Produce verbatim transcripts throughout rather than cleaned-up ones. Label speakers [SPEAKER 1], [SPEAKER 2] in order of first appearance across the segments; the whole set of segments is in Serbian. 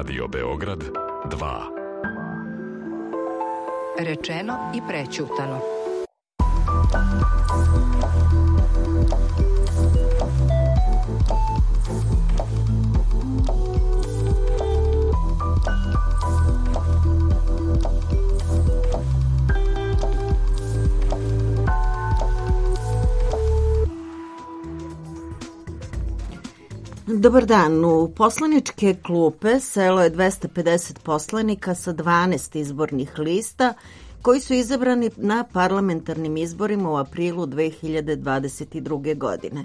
[SPEAKER 1] Radio Beograd dva.
[SPEAKER 2] Rečeno i prećutano.
[SPEAKER 3] Dobar dan. U poslaničke klupe selo je dvesta pedeset poslanika sa dvanaest izbornih lista koji su izabrani na parlamentarnim izborima u aprilu dve hiljade dvadeset druge. godine.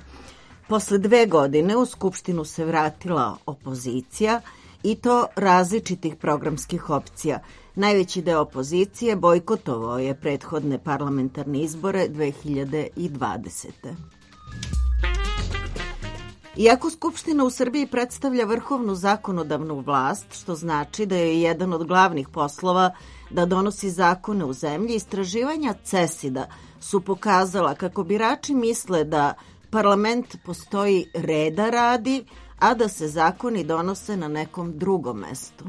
[SPEAKER 3] Posle dve godine u Skupštinu se vratila opozicija i to različitih programskih opcija. Najveći deo opozicije bojkotovao je prethodne parlamentarne izbore dve hiljade dvadesete. Iako Skupština u Srbiji predstavlja vrhovnu zakonodavnu vlast, što znači da je jedan od glavnih poslova da donosi zakone u zemlji, istraživanja CESID-a su pokazala kako birači misle da parlament postoji reda radi, a da se zakoni donose na nekom drugom mestu.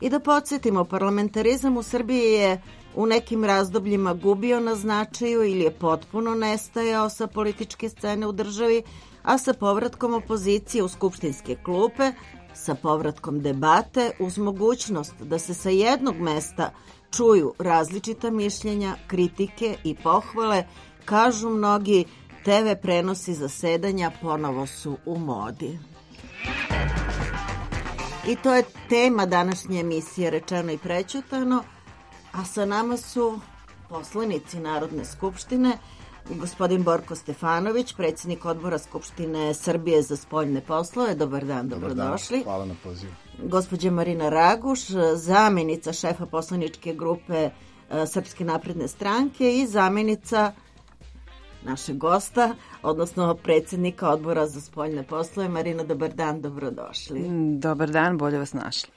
[SPEAKER 3] I da podsjetimo, parlamentarizam u Srbiji je u nekim razdobljima gubio na značaju ili je potpuno nestajao sa političke scene u državi, a sa povratkom opozicije u skupštinske klupe, sa povratkom debate, uz mogućnost da se sa jednog mesta čuju različita mišljenja, kritike i pohvale, kažu mnogi, te ve prenosi zasedanja ponovo su u modi. I to je tema današnje emisije Rečeno i prećutano, a sa nama su poslanici Narodne skupštine, gospodin Borko Stefanović, predsjednik odbora Skupštine Srbije za spoljne poslove. Dobar dan, dobrodošli.
[SPEAKER 4] Dobar dan, hvala na pozivu.
[SPEAKER 3] Gospođa Marina Raguš, zamjenica šefa poslaničke grupe Srpske napredne stranke i zamjenica našeg gosta, odnosno predsjednika odbora za spoljne poslove. Marina, dobar dan, dobrodošli.
[SPEAKER 5] Dobar dan, bolje vas našli.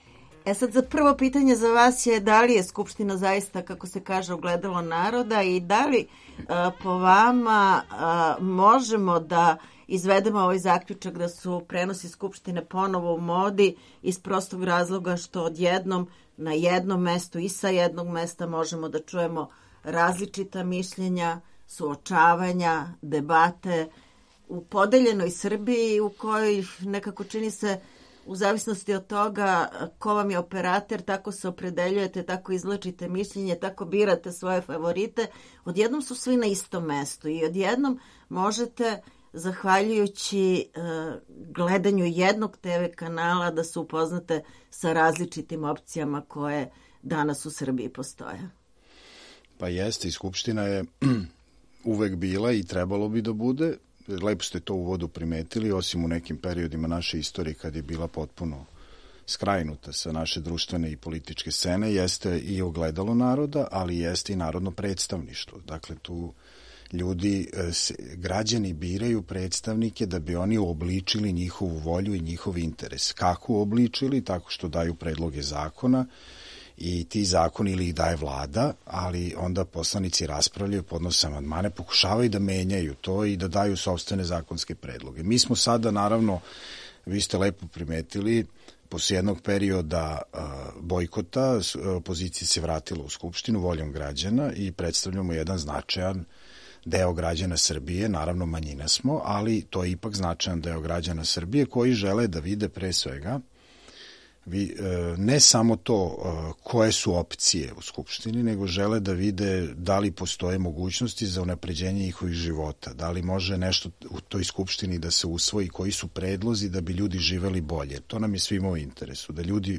[SPEAKER 3] E sad, za prvo pitanje za vas je da li je Skupština zaista, kako se kaže, ogledalo naroda i da li a, po vama a, možemo da izvedemo ovaj zaključak da su prenosi Skupštine ponovo u modi iz prostog razloga što odjednom na jednom mestu i sa jednog mesta možemo da čujemo različita mišljenja, suočavanja, debate u podeljenoj Srbiji u kojoj nekako čini se u zavisnosti od toga ko vam je operater, tako se opredeljujete, tako izlačite mišljenje, tako birate svoje favorite. Odjednom su svi na istom mestu i odjednom možete, zahvaljujući uh, gledanju jednog te ve kanala, da se upoznate sa različitim opcijama koje danas u Srbiji postoje.
[SPEAKER 4] Pa jeste, i Skupština je uvek bila i trebalo bi da bude. Lepo ste to u uvodu primetili, osim u nekim periodima naše istorije kad je bila potpuno skrajnuta sa naše društvene i političke scene, jeste i ogledalo naroda, ali jeste i narodno predstavništvo. Dakle, tu ljudi, građani biraju predstavnike da bi oni uobličili njihovu volju i njihov interes. Kako uobličili? Tako što daju predloge zakona, i ti zakoni ili ih daje vlada, ali onda poslanici raspravljaju, podnose amandmane, pokušavaju da menjaju to i da daju sopstvene zakonske predloge. Mi smo sada, naravno, vi ste lepo primetili, posle jednog perioda uh, bojkota, opozicija se vratila u Skupštinu voljom građana i predstavljamo jedan značajan deo građana Srbije, naravno manjina smo, ali to je ipak značajan deo građana Srbije koji žele da vide pre svega Vi, ne samo to koje su opcije u Skupštini, nego žele da vide da li postoje mogućnosti za unapređenje njihovih života, da li može nešto u toj Skupštini da se usvoji, koji su predlozi da bi ljudi živeli bolje. To nam je svima u interesu, da ljudi,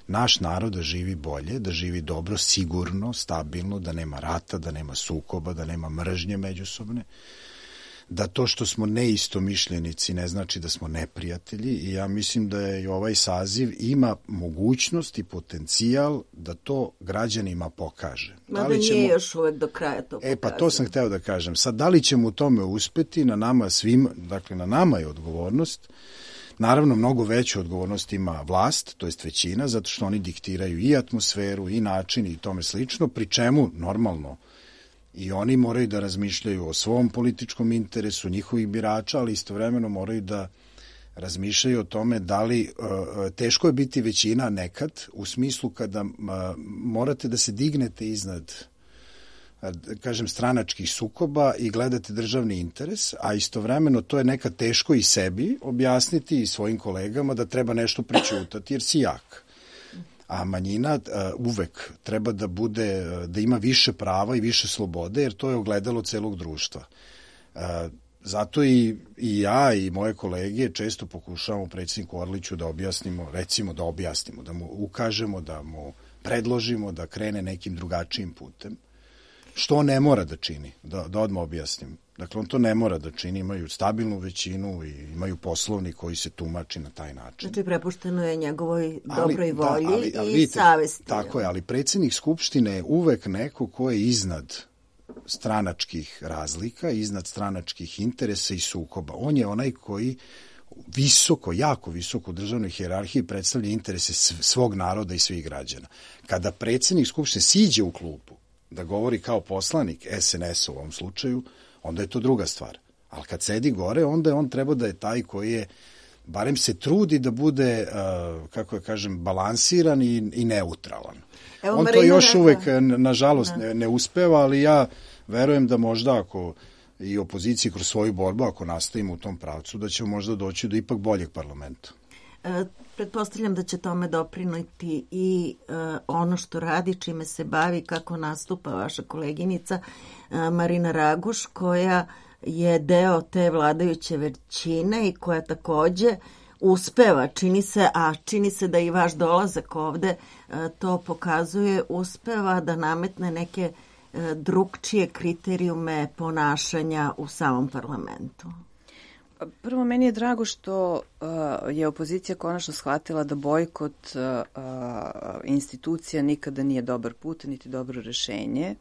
[SPEAKER 4] naš narod da živi bolje, da živi dobro, sigurno, stabilno, da nema rata, da nema sukoba, da nema mržnje međusobne, da to što smo neistomišljenici ne znači da smo neprijatelji i ja mislim da je i ovaj saziv ima mogućnost i potencijal da to građanima pokaže.
[SPEAKER 3] Mada da ćemo... nije još uvek do kraja to pokaže.
[SPEAKER 4] E pa to sam hteo da kažem. Sad, da li ćemo u tome uspeti, na nama svim, dakle na nama je odgovornost. Naravno, mnogo veću odgovornost ima vlast, to jest većina, zato što oni diktiraju i atmosferu i način i tome slično, pri čemu normalno i oni moraju da razmišljaju o svom političkom interesu, njihovih birača, ali istovremeno moraju da razmišljaju o tome da li, teško je biti većina nekad, u smislu kada morate da se dignete iznad, kažem, stranačkih sukoba i gledate državni interes, a istovremeno to je nekad teško i sebi objasniti i svojim kolegama da treba nešto prećutati jer si jak. A manjina uvek treba da bude, da ima više prava i više slobode, jer to je ogledalo celog društva. Zato i, i ja i moje kolege često pokušavamo predsjedniku Orliću da objasnimo, recimo da objasnimo, da mu ukažemo, da mu predložimo da krene nekim drugačijim putem, što on ne mora da čini, da, da odmah objasnim. Dakle, on to ne mora da čini, imaju stabilnu većinu i imaju poslovnik koji se tumači na taj način.
[SPEAKER 3] Znači, prepušteno je njegovoj dobroj volji
[SPEAKER 4] da, ali, ali,
[SPEAKER 3] i
[SPEAKER 4] vidite,
[SPEAKER 3] savesti.
[SPEAKER 4] Tako je, ali predsjednik Skupštine je uvek neko ko je iznad stranačkih razlika, iznad stranačkih interesa i sukoba. On je onaj koji visoko, jako visoko u državnoj hijerarhiji predstavlja interese svog naroda i svih građana. Kada predsjednik Skupštine siđe u klupu da govori kao poslanik es en es u ovom slučaju, onda je to druga stvar. Ali kad sedi gore, onda je on treba da je taj koji je, barem se trudi da bude, uh, kako je kažem, balansiran i, i neutralan. Evo, on Marina to još rekla. Uvek, nažalost, ne, ne uspeva, ali ja verujem da možda ako i opoziciji kroz svoju borbu, ako nastavimo u tom pravcu, da ćemo možda doći do ipak boljeg parlamenta.
[SPEAKER 3] E, pretpostavljam da će tome doprinoti i e, ono što radi, čime se bavi, kako nastupa vaša koleginica e, Marina Raguš, koja je deo te vladajuće većine i koja takođe uspeva, čini se, a čini se da i vaš dolazak ovde e, to pokazuje, uspeva da nametne neke e, drugčije kriterijume ponašanja u samom parlamentu.
[SPEAKER 5] Prvo, meni je drago što uh, je opozicija konačno shvatila da bojkot uh, uh, institucija nikada nije dobar put, niti dobro rešenje.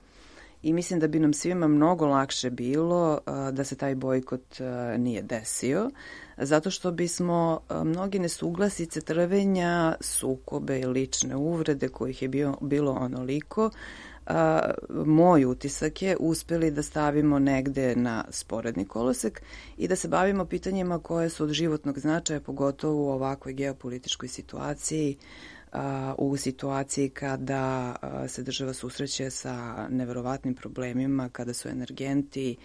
[SPEAKER 5] I mislim da bi nam svima mnogo lakše bilo uh, da se taj bojkot uh, nije desio, zato što bismo uh, mnogi nesuglasice, trvenja, sukobe i lične uvrede kojih je bio, bilo onoliko, A, moj utisak je uspeli da stavimo negde na sporedni kolosek i da se bavimo pitanjima koje su od životnog značaja, pogotovo u ovakvoj geopolitičkoj situaciji, a, u situaciji kada a, se država susreće sa neverovatnim problemima, kada su energenti,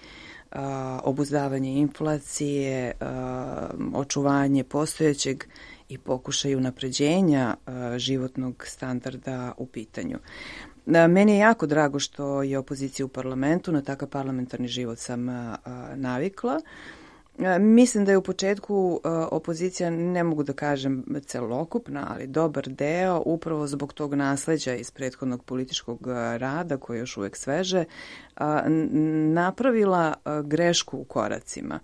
[SPEAKER 5] a, obuzdavanje inflacije, a, očuvanje postojećeg i pokušaj unapređenja a, životnog standarda u pitanju. Meni je jako drago što je opozicija u parlamentu, na takav parlamentarni život sam a, navikla. A, mislim da je u početku a, opozicija, ne mogu da kažem celokupna, ali dobar deo, upravo zbog tog nasleđa iz prethodnog političkog rada, koje je još uvek sveže, a, napravila a, grešku u koracima.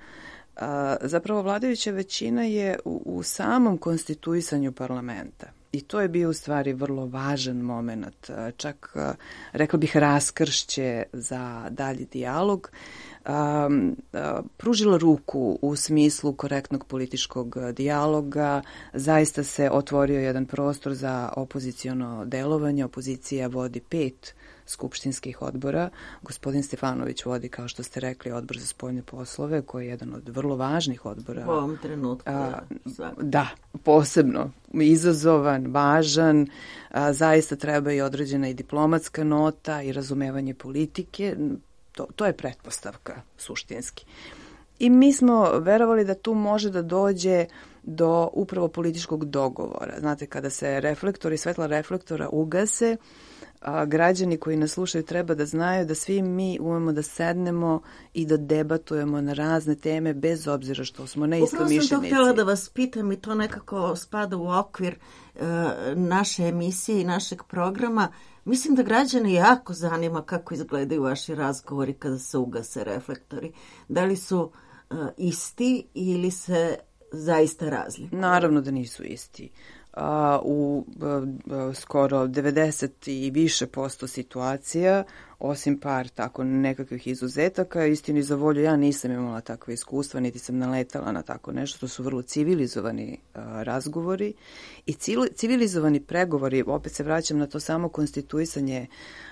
[SPEAKER 5] A, zapravo vladajuća većina je u, u samom konstituisanju parlamenta. I to je bio u stvari vrlo važan moment, čak rekla bih raskršće za dalji dijalog. Um, pružila ruku u smislu korektnog političkog dijaloga, zaista se otvorio jedan prostor za opoziciono delovanje. Opozicija vodi pet skupštinskih odbora. Gospodin Stefanović vodi, kao što ste rekli, odbor za spoljne poslove, koji je jedan od vrlo važnih odbora.
[SPEAKER 3] U ovom trenutku.
[SPEAKER 5] A, da, posebno izazovan, važan, a, zaista treba i određena i diplomatska nota i razumevanje politike. To, to je pretpostavka suštinski. I mi smo verovali da tu može da dođe do upravo političkog dogovora. Znate, kada se reflektori, svetla reflektora ugase, a građani koji nas slušaju treba da znaju da svi mi umemo da sednemo i da debatujemo na razne teme bez obzira što smo neistomišljenici.
[SPEAKER 3] Upravo sam to htjela da vas pitam i to nekako spada u okvir e, naše emisije i našeg programa. Mislim da građane jako zanima kako izgledaju vaši razgovori kada se ugase reflektori. Da li su e, isti ili se zaista razlikuju?
[SPEAKER 5] Naravno da nisu isti. Uh, u uh, skoro devedeset i više posto situacija, osim par tako nekakvih izuzetaka, istini za volju ja nisam imala takve iskustva, niti sam naletala na tako nešto. To su vrlo civilizovani uh, razgovori i civilizovani pregovori. Opet se vraćam na to samo konstituisanje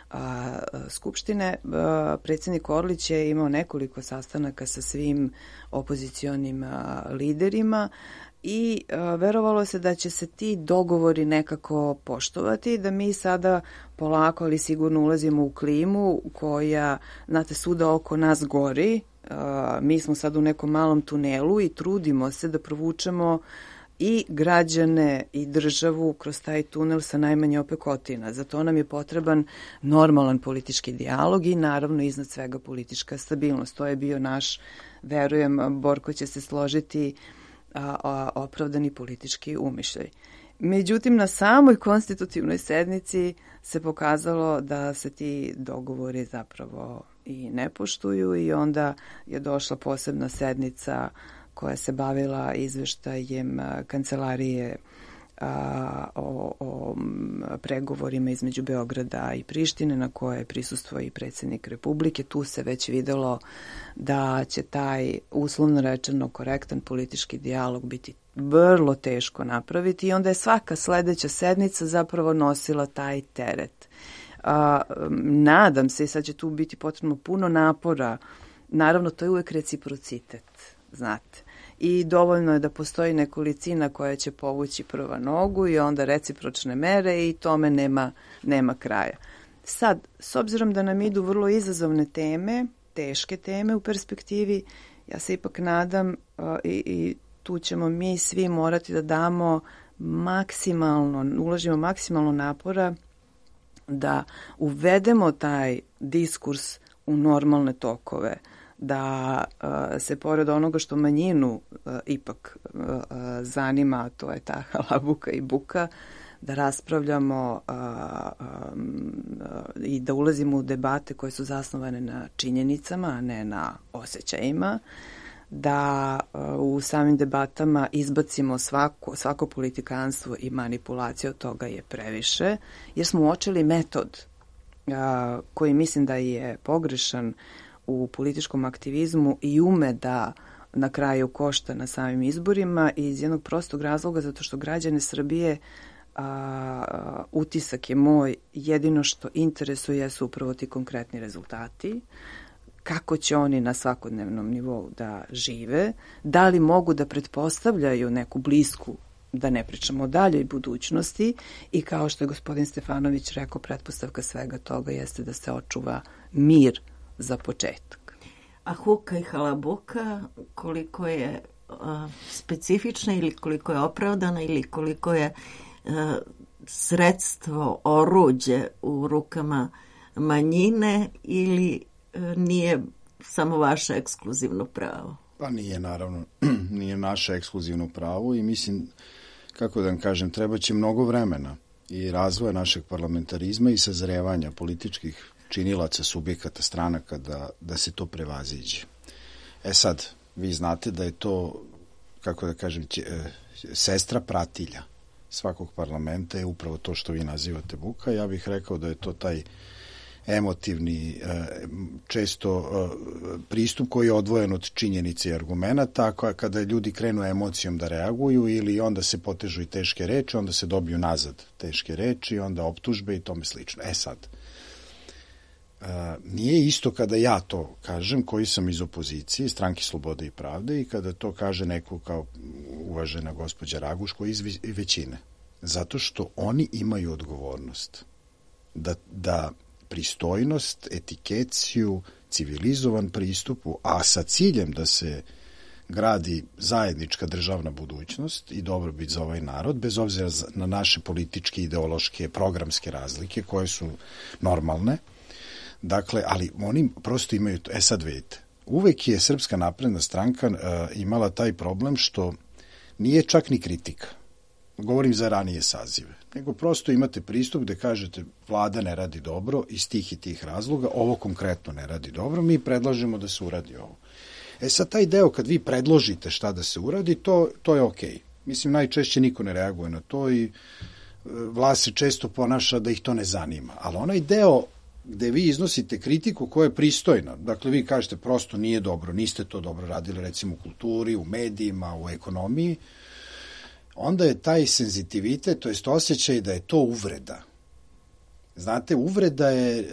[SPEAKER 5] a, Skupštine. A, predsjednik Orlić je imao nekoliko sastanaka sa svim opozicionim a, liderima i uh, verovalo se da će se ti dogovori nekako poštovati, da mi sada polako ali sigurno ulazimo u klimu koja, znate, svuda oko nas gori. Uh, mi smo sad u nekom malom tunelu i trudimo se da provučemo i građane i državu kroz taj tunel sa najmanje opekotina. Za to nam je potreban normalan politički dijalog i naravno iznad svega politička stabilnost. To je bio naš, verujem, Borko će se složiti, a, a, opravdani politički umišljaj. Međutim, na samoj konstitutivnoj sednici se pokazalo da se ti dogovori zapravo i ne poštuju i onda je došla posebna sednica koja se bavila izveštajem kancelarije a, o, o pregovorima između Beograda i Prištine, na koje je prisustvovao i predsjednik Republike. Tu se već videlo da će taj, uslovno rečeno, korektan politički dijalog biti vrlo teško napraviti i onda je svaka sledeća sednica zapravo nosila taj teret. A, nadam se, i sad će tu biti potrebno puno napora, naravno to je uvek reciprocitet, znate. I dovoljno je da postoji nekolicina koja će povući prva nogu i onda recipročne mere i tome nema, nema kraja. Sad, s obzirom da nam idu vrlo izazovne teme, teške teme u perspektivi, ja se ipak nadam uh, i, i tu ćemo mi svi morati da damo maksimalno, uložimo maksimalno napora da uvedemo taj diskurs u normalne tokove, da uh, se pored onoga što manjinu uh, ipak uh, zanima, to je ta halabuka i buka, da raspravljamo uh, um, uh, i da ulazimo u debate koje su zasnovane na činjenicama, a ne na osjećajima, da uh, u samim debatama izbacimo svako, svako politikanstvo i manipulaciju, od toga je previše, jer smo uočili metod uh, koji mislim da je pogrešan u političkom aktivizmu i ume da na kraju košta na samim izborima iz jednog prostog razloga, zato što građane Srbije, a, utisak je moj, jedino što interesuje su upravo ti konkretni rezultati, kako će oni na svakodnevnom nivou da žive, da li mogu da pretpostavljaju neku blisku, da ne pričamo o daljoj budućnosti, i kao što je gospodin Stefanović rekao, pretpostavka svega toga jeste da se očuva mir za početak.
[SPEAKER 3] A huka i halabuka, koliko je uh, specifična ili koliko je opravdana ili koliko je uh, sredstvo, oruđe u rukama manjine ili uh, nije samo vaše ekskluzivno pravo?
[SPEAKER 4] Pa nije, naravno, nije naše ekskluzivno pravo i mislim, kako da vam kažem, treba će mnogo vremena i razvoja našeg parlamentarizma i sazrevanja političkih činilaca, subjekata, stranaka da, da se to prevaziđe. E sad, vi znate da je to, kako da kažem, će, e, sestra pratilja svakog parlamenta je upravo to što vi nazivate buka. Ja bih rekao da je to taj emotivni, e, često e, pristup koji je odvojen od činjenice i argumenta, kada ljudi krenu emocijom da reaguju ili onda se potežu i teške reči, onda se dobiju nazad teške reči, onda optužbe i tome slično. E sad, Uh, nije isto kada ja to kažem, koji sam iz opozicije, Stranke slobode i pravde, i kada to kaže neko kao uvažena gospođa Raguš, koji iz većine. Zato što oni imaju odgovornost da, da pristojnost, etikeciju, civilizovan pristupu, a sa ciljem da se gradi zajednička državna budućnost i dobrobit za ovaj narod, bez obzira na naše političke, ideološke, programske razlike koje su normalne. Dakle, ali oni prosto imaju to. E sad vidite, uvek je Srpska napredna stranka uh, imala taj problem što nije čak ni kritika. Govorim za ranije sazive. Nego prosto imate pristup gde kažete vlada ne radi dobro iz tih i tih razloga, ovo konkretno ne radi dobro, mi predlažemo da se uradi ovo. E sad taj deo kad vi predložite šta da se uradi, to, to je okej. Okay. Mislim, najčešće niko ne reaguje na to i uh, vlast se često ponaša da ih to ne zanima. Ali onaj deo gde vi iznosite kritiku koja je pristojna. Dakle, vi kažete prosto nije dobro, niste to dobro radili, recimo u kulturi, u medijima, u ekonomiji, onda je taj senzitivitet, to jest osjećaj da je to uvreda. Znate, uvreda je e,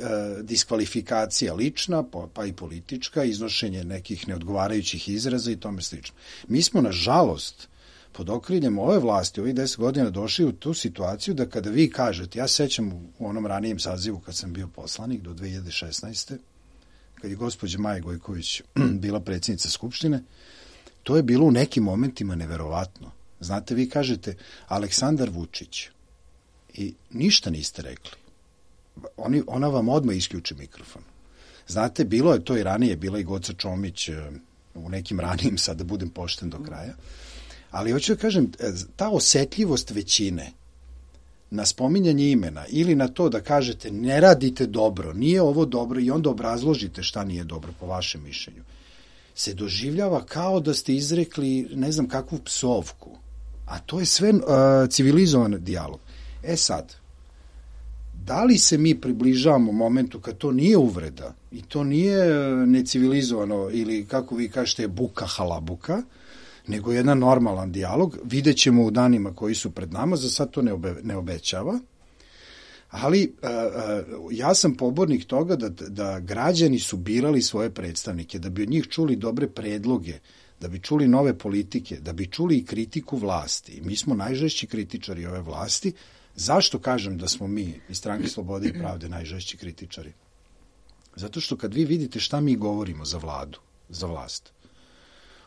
[SPEAKER 4] diskvalifikacija lična, pa, pa i politička, iznošenje nekih neodgovarajućih izraza i tome slično. Mi smo, nažalost, pod okriljem ove vlasti, ovih deset godina došli u tu situaciju da kada vi kažete, ja sećam u onom ranijem sazivu kad sam bio poslanik do dve hiljade šesnaeste. kad je gospođa Maja Gojković bila predsjednica Skupštine, to je bilo u nekim momentima neverovatno. Znate, vi kažete Aleksandar Vučić i ništa niste rekli. Oni, ona vam odmah isključi mikrofon. Znate, bilo je to i ranije, bila i Goca Čomić u nekim ranijim, sad da budem pošten do kraja, ali hoću da kažem, ta osetljivost većine na spominjanje imena ili na to da kažete ne radite dobro, nije ovo dobro i onda obrazložite šta nije dobro po vašem mišljenju, se doživljava kao da ste izrekli ne znam kakvu psovku. A to je sve uh, civilizovan dijalog. E sad, da li se mi približavamo momentu kad to nije uvreda i to nije necivilizovano ili kako vi kažete buka halabuka, nego jedan normalan dijalog, vidjet ćemo u danima koji su pred nama, za sad to ne, obe, ne obećava, ali uh, uh, ja sam pobornik toga da, da građani su birali svoje predstavnike, da bi od njih čuli dobre predloge, da bi čuli nove politike, da bi čuli i kritiku vlasti. Mi smo najžešći kritičari ove vlasti. Zašto kažem da smo mi iz Stranke Slobode i Pravde najžešći kritičari? Zato što kad vi vidite šta mi govorimo za vladu, za vlast,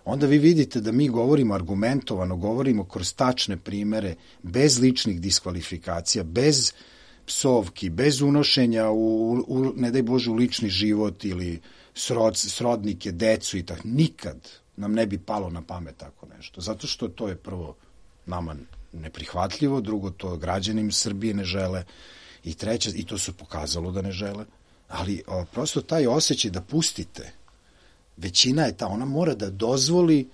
[SPEAKER 4] onda vi vidite da mi govorimo argumentovano, govorimo kroz tačne primere, bez ličnih diskvalifikacija, bez psovki, bez unošenja u, u ne daj Bože, u lični život ili srod, srodnike, decu i tako. Nikad nam ne bi palo na pamet tako nešto. Zato što to je prvo nama neprihvatljivo, drugo to građanim Srbije ne žele i treće, i to su pokazalo da ne žele, ali o, prosto taj osjećaj da pustite, većina je ta, ona mora da dozvoli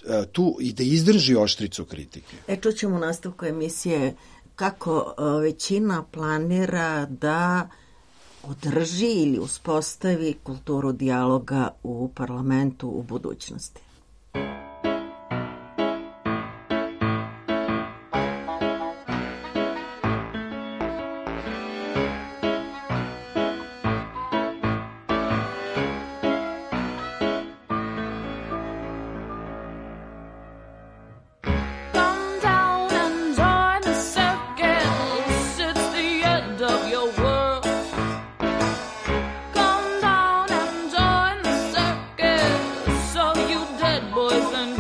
[SPEAKER 4] e, tu i da izdrži oštricu kritike.
[SPEAKER 3] E, čućemo u nastavku emisije kako o, većina planira da održi ili uspostavi kulturu dijaloga u parlamentu u budućnosti.
[SPEAKER 6] Boys and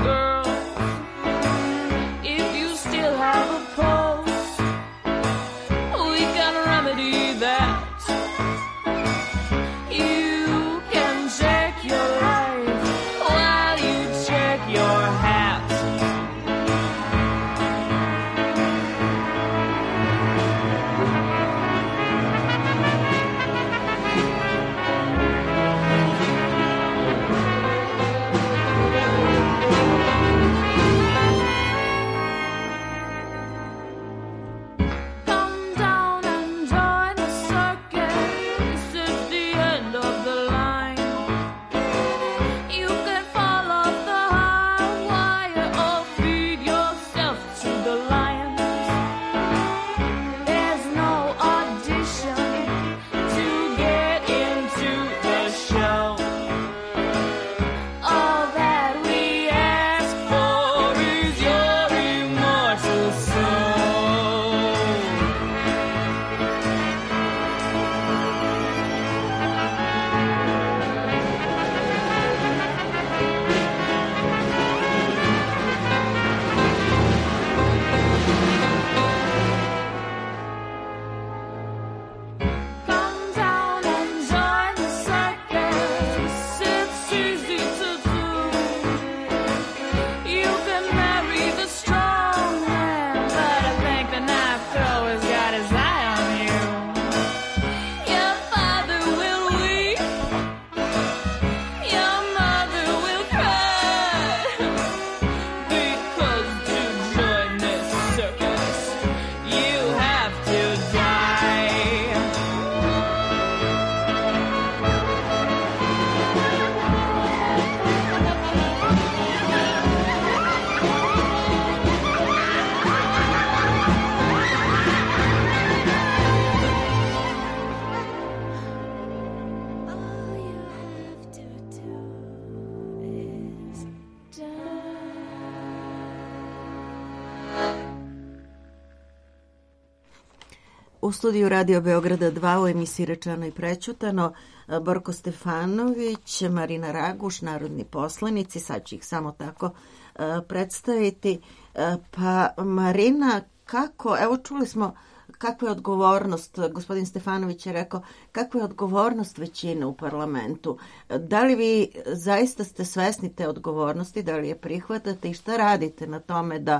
[SPEAKER 3] U studiju Radio Beograda dva u emisiji Rečeno i prećutano Borko Stefanović, Marina Raguš, narodni poslanici, sad ću ih samo tako uh, predstaviti. Uh, pa Marina, kako, evo čuli smo kakva je odgovornost, gospodin Stefanović je rekao, kakva je odgovornost većine u parlamentu. Da li vi zaista ste svesni te odgovornosti, da li je prihvatate i šta radite na tome da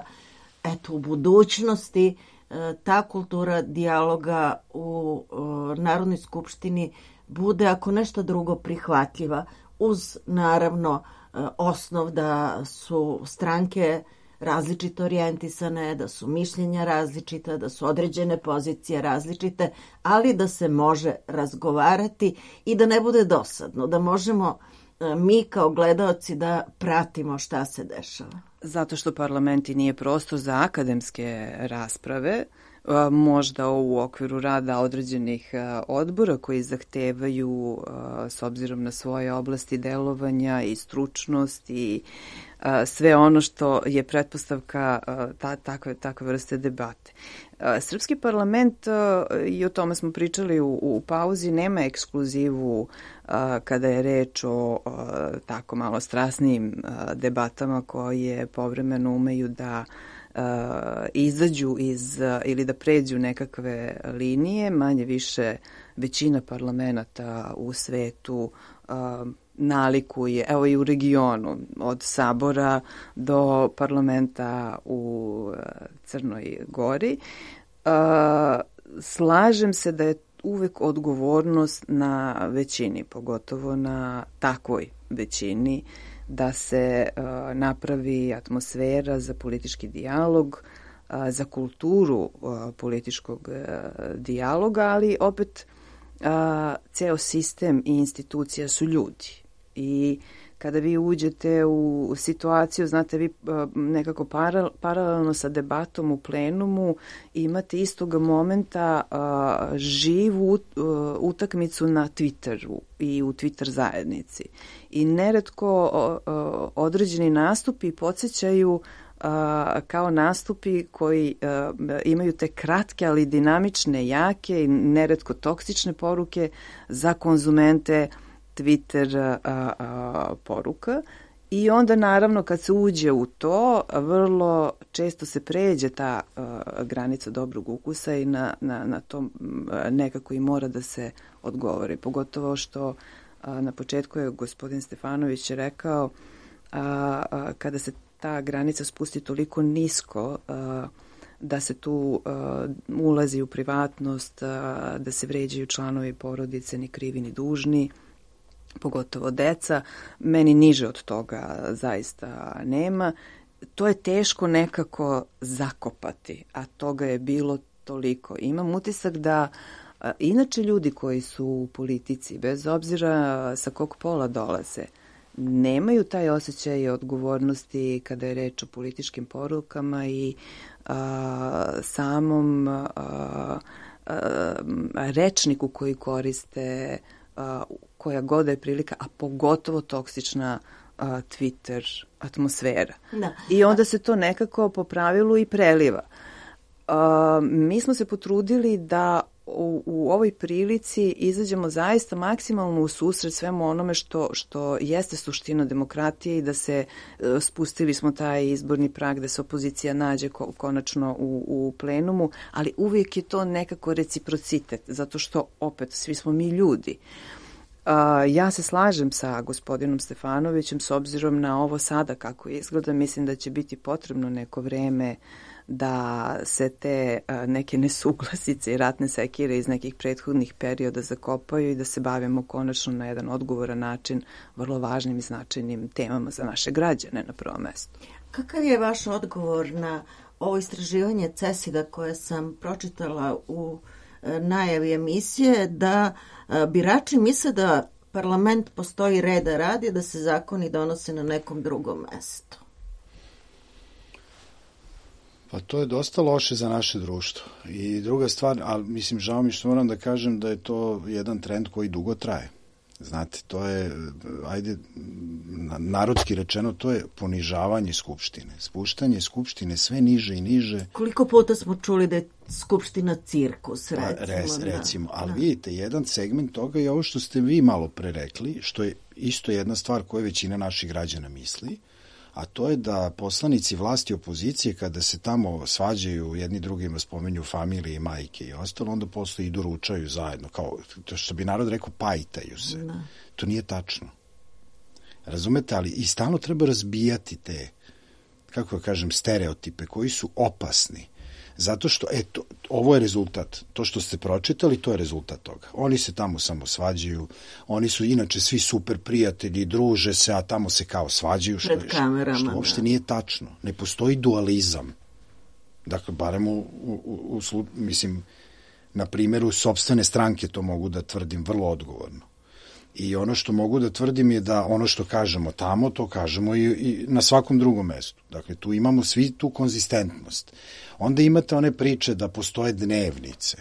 [SPEAKER 3] eto u budućnosti ta kultura dijaloga u Narodnoj skupštini bude ako nešto drugo prihvatljiva, uz naravno osnov da su stranke različito orijentisane, da su mišljenja različita, da su određene pozicije različite, ali da se može razgovarati i da ne bude dosadno, da možemo mi kao gledaoci da pratimo šta se dešava.
[SPEAKER 5] Zato što parlament i nije prostor za akademske rasprave, možda u okviru rada određenih odbora koji zahtevaju s obzirom na svoje oblasti delovanja i stručnost i sve ono što je pretpostavka ta, takve, takve vrste debate. Srpski parlament, i o tome smo pričali u, u pauzi, nema ekskluzivu kada je reč o tako malo strasnijim debatama koje povremeno umeju da izađu iz ili da pređu nekakve linije. Manje više većina parlamenata u svetu nalikuje, evo i u regionu, od Sabora do parlamenta u Crnoj Gori. Slažem se da je uvek odgovornost na većini, pogotovo na takvoj većini, da se uh, napravi atmosfera za politički dijalog, uh, za kulturu uh, političkog uh, dijaloga, ali opet uh, ceo sistem i institucija su ljudi. I kada vi uđete u situaciju, znate, vi uh, nekako para, paralelno sa debatom u plenumu imate istoga momenta uh, živu uh, utakmicu na Twitteru i u Twitter zajednici. I neretko uh, uh, određeni nastupi podsjećaju uh, kao nastupi koji uh, imaju te kratke, ali dinamične, jake i neretko toksične poruke za konzumente Twitter a, a, poruka. I onda naravno kad se uđe u to, vrlo često se pređe ta a, granica dobrog ukusa i na, na, na to nekako i mora da se odgovori. Pogotovo što a, na početku je gospodin Stefanović rekao a, a, kada se ta granica spusti toliko nisko a, da se tu uh, ulazi u privatnost, uh, da se vređaju članovi porodice, ni krivi ni dužni, pogotovo deca. Meni niže od toga zaista nema. To je teško nekako zakopati, a toga je bilo toliko. Imam utisak da a, inače ljudi koji su u politici, bez obzira sa kog pola dolaze, nemaju taj osjećaj odgovornosti kada je reč o političkim porukama i a, samom a, a, rečniku koji koriste, a, koja god je prilika, a pogotovo toksična a, Twitter atmosfera. Da. I onda se to nekako po pravilu i preliva. A, mi smo se potrudili da u, u ovoj prilici izađemo zaista maksimalno u susret svemu onome što, što jeste suština demokratije i da se uh, spustili smo taj izborni prag, da se opozicija nađe ko, konačno u, u plenumu, ali uvijek je to nekako reciprocitet, zato što opet svi smo mi ljudi. Uh, ja se slažem sa gospodinom Stefanovićem s obzirom na ovo sada kako izgleda. Mislim da će biti potrebno neko vreme da se te uh, neke nesuglasice i ratne sekire iz nekih prethodnih perioda zakopaju i da se bavimo konačno na jedan odgovoran način vrlo važnim i značajnim temama za naše građane na prvom mestu.
[SPEAKER 3] Kakav je vaš odgovor na ovo istraživanje CESID-a koje sam pročitala u najavi emisije, da birači misle da parlament postoji reda radi, da se zakoni donose na nekom drugom mestu?
[SPEAKER 4] Pa to je dosta loše za naše društvo. I druga stvar, ali mislim, žao mi što moram da kažem da je to jedan trend koji dugo traje. Znate, to je, ajde, narodski rečeno, to je ponižavanje Skupštine. Spuštanje Skupštine sve niže i niže.
[SPEAKER 3] Koliko puta smo čuli da je Skupština cirkus, recimo.
[SPEAKER 4] Pa, res,
[SPEAKER 3] da.
[SPEAKER 4] recimo, ali
[SPEAKER 3] Da.
[SPEAKER 4] vidite, jedan segment toga je ovo što ste vi malo pre rekli, što je isto jedna stvar koju većina naših građana misli, a to je da poslanici vlasti i opozicije, kada se tamo svađaju, jedni drugima spomenju familije i majke i ostalo, onda posle idu ručaju zajedno, kao to što bi narod rekao, pajtaju se.
[SPEAKER 3] Da.
[SPEAKER 4] To nije tačno. Razumete, ali i stalno treba razbijati te, kako da kažem, stereotipe koji su opasni. Zato što, eto, ovo je rezultat. To što ste pročitali, to je rezultat toga. Oni se tamo samo svađaju, oni su inače svi super prijatelji, druže se, a tamo se kao svađaju. Što,
[SPEAKER 3] Pred kamerama,
[SPEAKER 4] što uopšte
[SPEAKER 3] da.
[SPEAKER 4] nije tačno. Ne postoji dualizam. Dakle, barem u, u, u, u mislim, na primjeru sopstvene stranke to mogu da tvrdim vrlo odgovorno. I ono što mogu da tvrdim je da ono što kažemo tamo, to kažemo i, i na svakom drugom mestu. Dakle, tu imamo svi tu konzistentnost. Onda imate one priče da postoje dnevnice,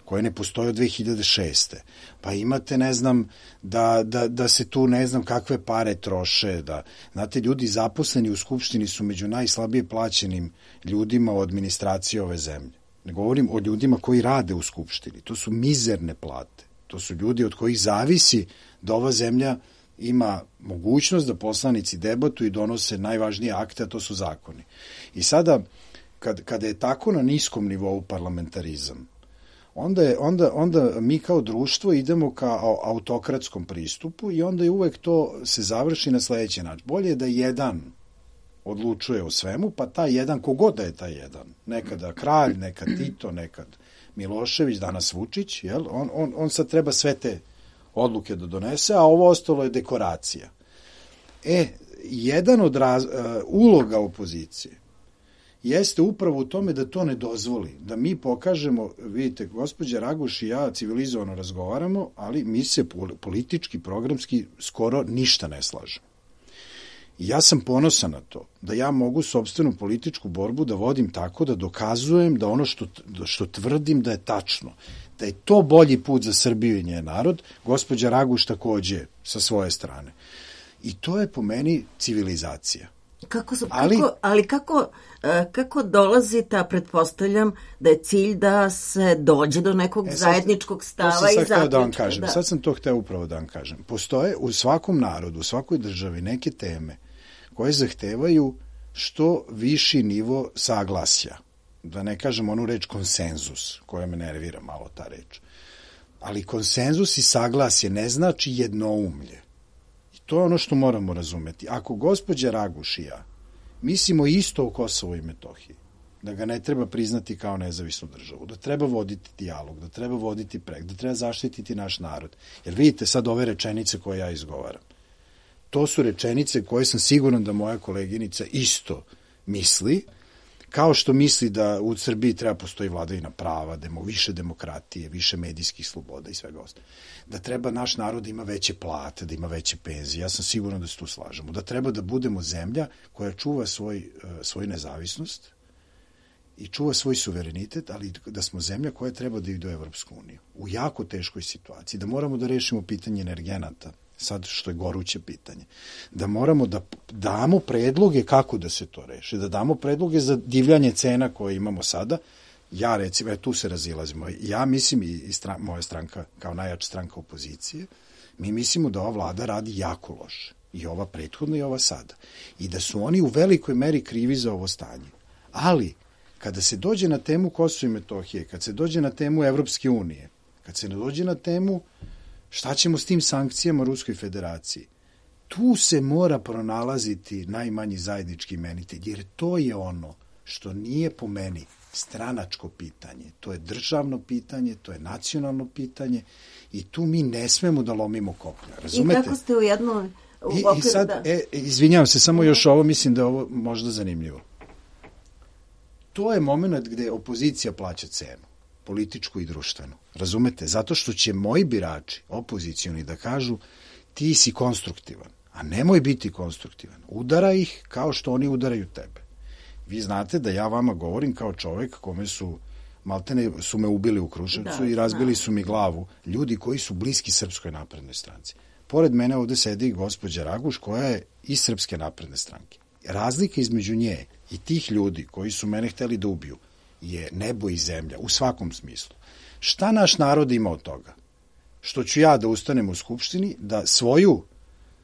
[SPEAKER 4] koje ne postoje od dve hiljade šeste. Pa imate, ne znam, da, da, da se tu ne znam kakve pare troše. Da, znate, ljudi zaposleni u Skupštini su među najslabije plaćenim ljudima u administraciji ove zemlje. Ne govorim o ljudima koji rade u Skupštini. To su mizerne plate. To su ljudi od kojih zavisi da ova zemlja ima mogućnost da poslanici debatuju i donose najvažnije akte, a to su zakoni. I sada, kad, kada je tako na niskom nivou parlamentarizam, onda, je, onda, onda mi kao društvo idemo ka autokratskom pristupu i onda je uvek to se završi na sledeći način. Bolje je da jedan odlučuje o svemu, pa taj jedan, kogod da je taj jedan, nekada kralj, nekad Tito, nekad Milošević, danas Vučić, jel? On, on, on sad treba sve te odluke da donese, a ovo ostalo je dekoracija. E, jedan od raz, uh, uloga opozicije jeste upravo u tome da to ne dozvoli, da mi pokažemo, vidite, gospođa Raguš i ja civilizovano razgovaramo, ali mi se politički, programski skoro ništa ne slažemo. I ja sam ponosan na to, da ja mogu sopstvenu političku borbu da vodim tako da dokazujem da ono što, što tvrdim da je tačno, da je to bolji put za Srbiju i njen narod, gospođa Raguš takođe sa svoje strane. I to je po meni civilizacija.
[SPEAKER 3] Kako,
[SPEAKER 4] ali,
[SPEAKER 3] kako, ali kako, kako dolazi ta, pretpostavljam, da je cilj da se dođe do nekog e, sad, zajedničkog stava i zaključka.
[SPEAKER 4] Da vam kažem. Da. Sad sam to hteo upravo da vam kažem. Postoje u svakom narodu, u svakoj državi neke teme koje zahtevaju što viši nivo saglasja. Da ne kažem onu reč konsenzus, koja me nervira malo ta reč. Ali konsenzus i saglasje ne znači jednoumlje. I to je ono što moramo razumeti. Ako gospođa Raguš i ja mislimo isto o Kosovu i Metohiji, da ga ne treba priznati kao nezavisnu državu, da treba voditi dijalog, da treba voditi prek, da treba zaštititi naš narod. Jer vidite sad ove rečenice koje ja izgovaram. To su rečenice koje sam siguran da moja koleginica isto misli, kao što misli da u Srbiji treba postoji vladavina prava, demo, više demokratije, više medijskih sloboda i svega ostalo. Da treba naš narod da ima veće plate, da ima veće penzije. Ja sam siguran da se tu slažemo. Da treba da budemo zemlja koja čuva svoj, svoju nezavisnost i čuva svoj suverenitet, ali da smo zemlja koja treba da ide u Evropsku uniju. U jako teškoj situaciji. Da moramo da rešimo pitanje energenata, sad što je goruće pitanje, da moramo da damo predloge kako da se to reši, da damo predloge za divljanje cena koje imamo sada. Ja recimo, tu se razilazimo, ja mislim i stran, moja stranka kao najjača stranka opozicije, mi mislimo da ova vlada radi jako loše, i ova prethodna i ova sada, i da su oni u velikoj meri krivi za ovo stanje. Ali, kada se dođe na temu Kosova i Metohije, kad se dođe na temu Evropske unije, kad se dođe na temu šta ćemo s tim sankcijama Ruskoj federaciji, tu se mora pronalaziti najmanji zajednički imenitelj, jer to je ono što nije po meni stranačko pitanje. To je državno pitanje, to je nacionalno pitanje i tu mi ne smemo da lomimo koplja. Razumete?
[SPEAKER 3] I kako ste u jednom... U
[SPEAKER 4] I,
[SPEAKER 3] okviru,
[SPEAKER 4] i sad,
[SPEAKER 3] da.
[SPEAKER 4] e, izvinjavam se, samo još ovo, mislim da je ovo možda zanimljivo. To je moment gde opozicija plaća cenu, političku i društvenu. Razumete? Zato što će moji birači, opozicioni, da kažu ti si konstruktivan, a nemoj biti konstruktivan. Udara ih kao što oni udaraju tebe. Vi znate da ja vama govorim kao čovek kome su maltene su me ubili u Kruševcu
[SPEAKER 3] Da,
[SPEAKER 4] i razbili
[SPEAKER 3] znam.
[SPEAKER 4] su mi glavu ljudi koji su bliski Srpskoj naprednoj stranci. Pored mene ovde sedi i gospođa Raguš koja je iz Srpske napredne stranke. Razlika između nje i tih ljudi koji su mene hteli da ubiju je nebo i zemlja u svakom smislu. Šta naš narod ima od toga? Što ću ja da ustanem u Skupštini, da svoju,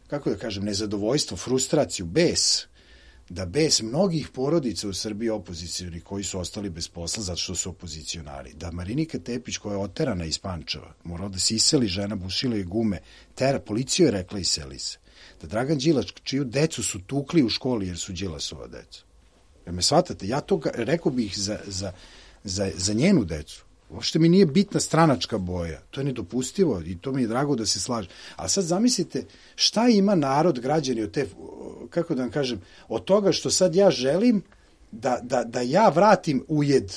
[SPEAKER 4] kako da kažem, nezadovoljstvo, frustraciju, bes, da bes mnogih porodica u Srbiji opozicijoni koji su ostali bez posla zato što su opozicionari, da Marinika Tepić koja je oterana iz Pančeva, morala da se iseli, žena bušila i gume, tera, policiju je rekla iseli se, da Dragan Đilas, čiju decu su tukli u školi jer su Đilasova deca. Jer me shvatate, ja to rekao bih za, za, za, za njenu decu. Uopšte mi nije bitna stranačka boja. To je nedopustivo i to mi je drago da se slaže. A sad zamislite šta ima narod, građani od te, kako da vam kažem, od toga što sad ja želim da, da, da ja vratim ujed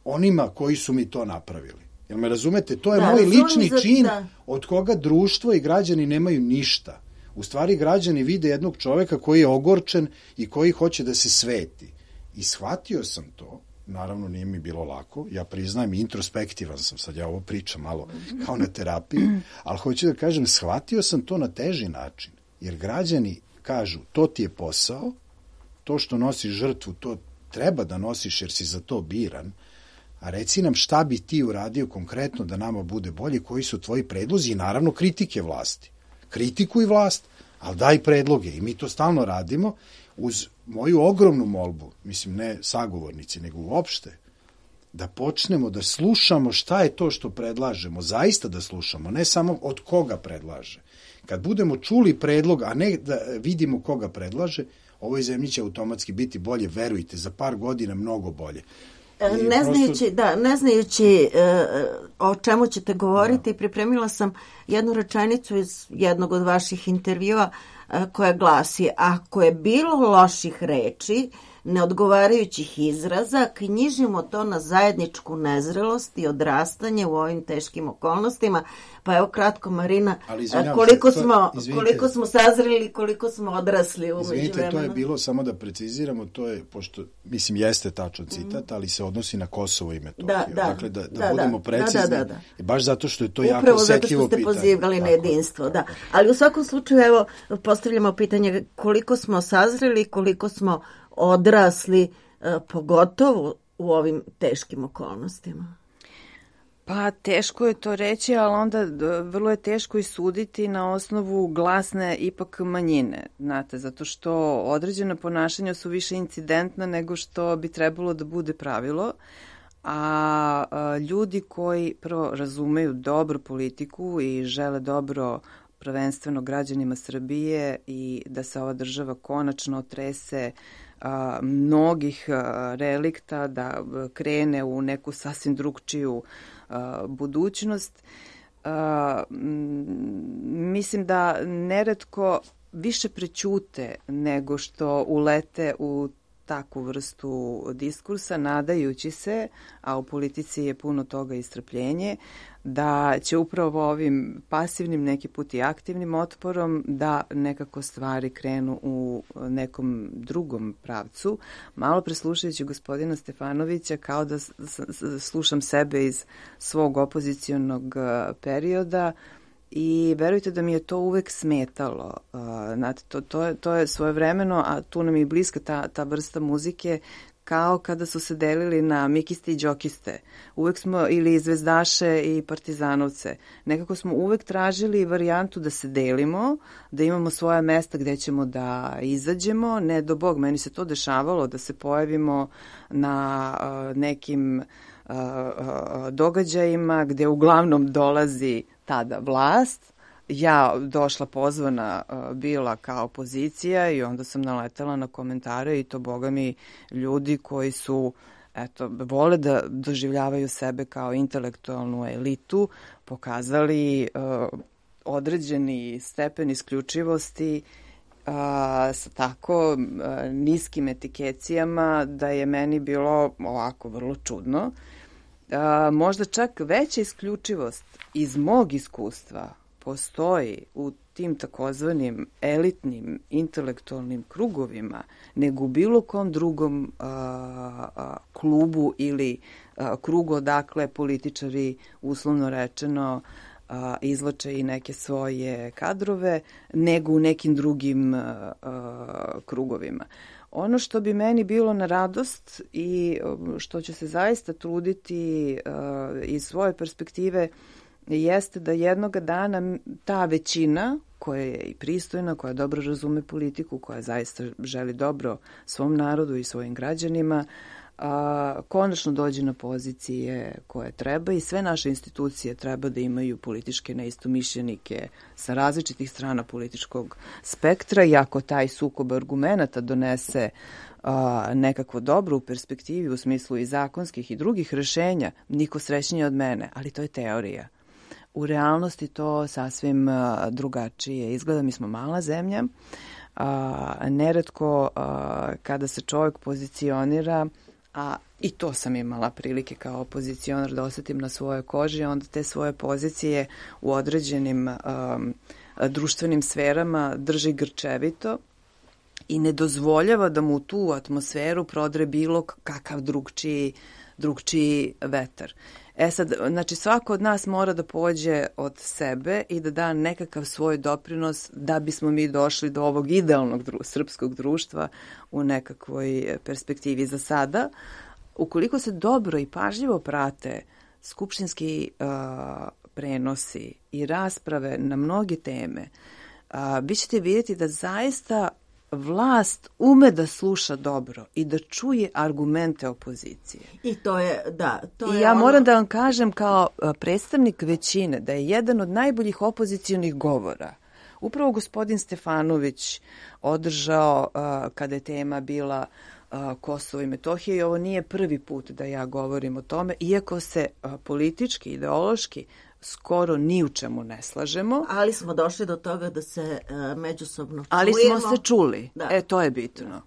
[SPEAKER 4] onima koji su mi to napravili. Jel me razumete? To je
[SPEAKER 3] Da,
[SPEAKER 4] moj
[SPEAKER 3] razumem
[SPEAKER 4] lični
[SPEAKER 3] za-
[SPEAKER 4] čin
[SPEAKER 3] da.
[SPEAKER 4] od koga društvo i građani nemaju ništa. U stvari građani vide jednog čoveka koji je ogorčen i koji hoće da se sveti. I shvatio sam to, naravno nije mi bilo lako, ja priznajem, introspektivan sam, sad ja ovo pričam malo kao na terapiji, ali hoću da kažem, shvatio sam to na teži način, jer građani kažu, to ti je posao, to što nosiš žrtvu, to treba da nosiš jer si za to biran, a reci nam šta bi ti uradio konkretno da nama bude bolje, koji su tvoji predlozi i naravno kritike vlasti. Kritikuj vlast, ali daj predloge i mi to stalno radimo uz moju ogromnu molbu, mislim ne sagovornici, nego uopšte, da počnemo da slušamo šta je to što predlažemo, zaista da slušamo, ne samo od koga predlaže. Kad budemo čuli predlog, a ne da vidimo koga predlaže, ovoj zemlji će automatski biti bolje, verujte, za par godina mnogo bolje.
[SPEAKER 3] E,
[SPEAKER 4] I
[SPEAKER 3] Ne
[SPEAKER 4] prosto-
[SPEAKER 3] znajući, da, ne znajući e, o čemu ćete govoriti, pripremila sam jednu rečenicu iz jednog od vaših intervjua e, koja glasi: ako je bilo loših reči, neodgovarajućih izraza, knjižimo to na zajedničku nezrelost i odrastanje u ovim teškim okolnostima. Pa evo kratko, Marina,
[SPEAKER 4] Ali izvinjavam
[SPEAKER 3] koliko
[SPEAKER 4] se, to-
[SPEAKER 3] smo,
[SPEAKER 4] izvinite.
[SPEAKER 3] koliko smo sazreli, koliko smo odrasli u
[SPEAKER 4] Izvinite, to je
[SPEAKER 3] međuvremenu.
[SPEAKER 4] bilo, samo da preciziramo, to je, pošto, mislim, jeste tačan citat, ali se odnosi na Kosovo i Metohiju.
[SPEAKER 3] Da, da,
[SPEAKER 4] dakle, da, da,
[SPEAKER 3] da,
[SPEAKER 4] budemo
[SPEAKER 3] da,
[SPEAKER 4] precizni,
[SPEAKER 3] da, da, da.
[SPEAKER 4] i baš zato što je to jako
[SPEAKER 3] Upravo zato što
[SPEAKER 4] osetljivo
[SPEAKER 3] ste
[SPEAKER 4] pitanje.
[SPEAKER 3] pozivali na
[SPEAKER 4] Tako je.
[SPEAKER 3] jedinstvo, da. Ali u svakom slučaju, evo, postavljamo pitanje koliko smo sazreli, koliko smo odrasli, e, pogotovo u ovim teškim okolnostima.
[SPEAKER 5] Pa teško je to reći, ali onda d- vrlo je teško i suditi na osnovu glasne ipak manjine, znate, zato što određena ponašanja su više incidentna nego što bi trebalo da bude pravilo, a, a ljudi koji prvo razumeju dobro politiku i žele dobro prvenstveno građanima Srbije i da se ova država konačno otrese a, mnogih a, relikta, da a, krene u neku sasvim drugčiju a, budućnost. A, m, mislim da neretko više prećute nego što ulete u takvu vrstu diskursa, nadajući se, a u politici je puno toga i strpljenje, da će upravo ovim pasivnim, neki put i aktivnim otporom da nekako stvari krenu u nekom drugom pravcu. Malo preslušajući gospodina Stefanovića, kao da s- s- slušam sebe iz svog opozicionog eh, perioda, i verujte da mi je to uvek smetalo. Uh, znate, to, to, je, to je svojevremeno, a tu nam je i bliska ta, ta vrsta muzike, kao kada su se delili na mikiste i džokiste. Uvek smo, ili zvezdaše i partizanovce. Nekako smo uvek tražili varijantu da se delimo, da imamo svoja mesta gde ćemo da izađemo. Ne do Bog, meni se to dešavalo, da se pojavimo na uh, nekim uh, uh, događajima gde uglavnom dolazi tada vlast, ja došla pozvana uh, bila kao opozicija i onda sam naletela na komentare i to, boga mi, ljudi koji su, eto, vole da doživljavaju sebe kao intelektualnu elitu, pokazali uh, određeni stepen isključivosti uh, sa tako uh, niskim etikecijama da je meni bilo ovako vrlo čudno. A, možda čak veća isključivost iz mog iskustva postoji u tim takozvanim elitnim intelektualnim krugovima nego u bilo kom drugom a, a, klubu ili a, krugu odakle političari, uslovno rečeno, a, izvlače i neke svoje kadrove, nego u nekim drugim a, a, krugovima. Ono što bi meni bilo na radost i što ću se zaista truditi uh, iz svoje perspektive jeste da jednoga dana ta većina koja je i pristojna, koja dobro razume politiku, koja zaista želi dobro svom narodu i svojim građanima, a, konačno dođe na pozicije koje treba i sve naše institucije treba da imaju političke neistomišljenike sa različitih strana političkog spektra i ako taj sukob argumenata donese a, nekakvo dobro u perspektivi u smislu i zakonskih i drugih rešenja, niko srećnije od mene, ali to je teorija. U realnosti to sasvim a, drugačije izgleda. Mi smo mala zemlja, a, neretko a, kada se čovjek pozicionira, a i to sam imala prilike kao opozicionar da osetim na svojoj koži, onda te svoje pozicije u određenim um, društvenim sferama drži grčevito i ne dozvoljava da mu tu atmosferu prodre bilo kakav drugčiji, drugčiji vetar. E sad, znači svako od nas mora da pođe od sebe i da da nekakav svoj doprinos da bismo mi došli do ovog idealnog dru, srpskog društva u nekakvoj perspektivi. Za sada, ukoliko se dobro i pažljivo prate skupštinski uh, prenosi i rasprave na mnoge teme, uh, vi ćete vidjeti da zaista vlast ume da sluša dobro i da čuje argumente opozicije.
[SPEAKER 3] I to je, da. To
[SPEAKER 5] I
[SPEAKER 3] je
[SPEAKER 5] ja
[SPEAKER 3] ono...
[SPEAKER 5] moram da vam kažem kao predstavnik većine da je jedan od najboljih opozicionih govora upravo gospodin Stefanović održao uh, kada je tema bila uh, Kosovo i Metohija i ovo nije prvi put da ja govorim o tome, iako se uh, politički, ideološki skoro ni u čemu ne slažemo.
[SPEAKER 3] Ali smo došli do toga da se uh, međusobno čujemo.
[SPEAKER 5] Ali smo se čuli.
[SPEAKER 3] Da.
[SPEAKER 5] E, to je bitno.